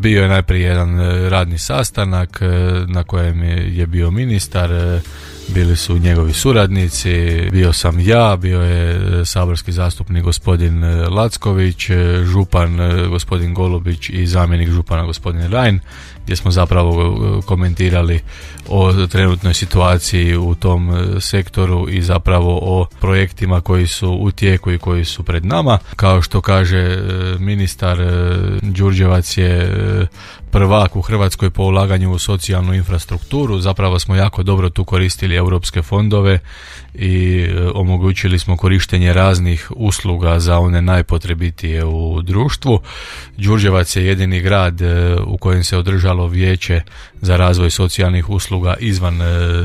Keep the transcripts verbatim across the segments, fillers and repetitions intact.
Bio je najprije jedan radni sastanak na kojem je bio ministar, bili su njegovi suradnici, bio sam ja, bio je saborski zastupnik gospodin Lacković, župan gospodin Golubić i zamjenik župana gospodin Rajn, gdje smo zapravo komentirali o trenutnoj situaciji u tom sektoru i zapravo o projektima koji su u tijeku i koji su pred nama. Kao što kaže ministar, Đurđevac je prvak u Hrvatskoj po ulaganju u socijalnu infrastrukturu. Zapravo smo jako dobro tu koristili europske fondove i omogućili smo korištenje raznih usluga za one najpotrebitije u društvu. Đurđevac je jedini grad u kojem se održalo vijeće za razvoj socijalnih usluga izvan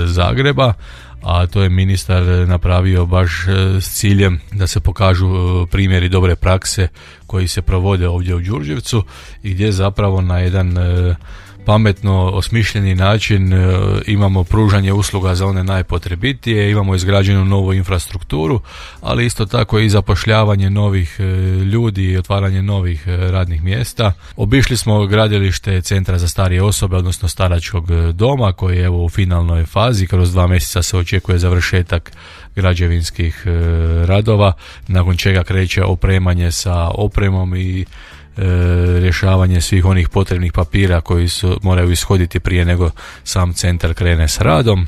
Zagreba, a to je ministar napravio baš s ciljem da se pokažu primjeri dobre prakse koji se provode ovdje u Đurđevcu i gdje zapravo na jedan pametno osmišljeni način imamo pružanje usluga za one najpotrebitije, imamo izgrađenu novu infrastrukturu, ali isto tako i zapošljavanje novih ljudi i otvaranje novih radnih mjesta. Obišli smo gradilište Centra za starije osobe, odnosno staračkog doma, koji je evo u finalnoj fazi. Kroz dva mjeseca se očekuje završetak građevinskih radova, nakon čega kreće opremanje sa opremom i E, rješavanje svih onih potrebnih papira koji su moraju ishoditi prije nego sam centar krene s radom.